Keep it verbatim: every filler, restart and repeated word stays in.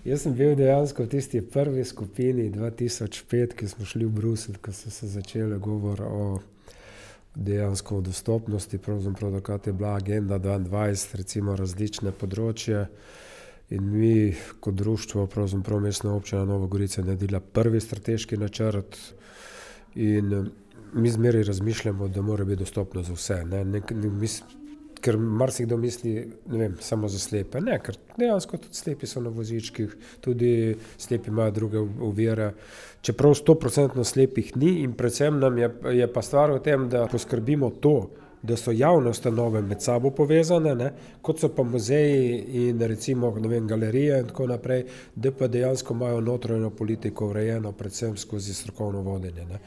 Jaz sem bil dejansko v tisti prvi skupini dva tisoč pet, ki smo šli v Bruselj, ko so se začele govor o dejansko o dostopnosti, pravzaprav takrat je bila agenda dvaindvajset, recimo različne področje. In mi kot društvo, pravzaprav Mestna občina Nova Gorica je naredila prvi strateški načrt in mi zmeraj razmišljamo, da mora biti dostopno za vse, ne, ne, ker marsikdo misli, ne vem, samo za slepe. Ne, ker dejansko tudi slepi so na vozičkih, tudi slepi imajo druge ovire, čeprav stoprocentno slepih ni in predvsem nam je, je pa stvar v tem, da poskrbimo to, da so javne ustanove med sabo povezane, ne, kot so pa muzeji in recimo, ne vem, galerije in tako naprej, da pa dejansko imajo notranjo politiko urejeno predvsem skozi strokovno vodenje, ne.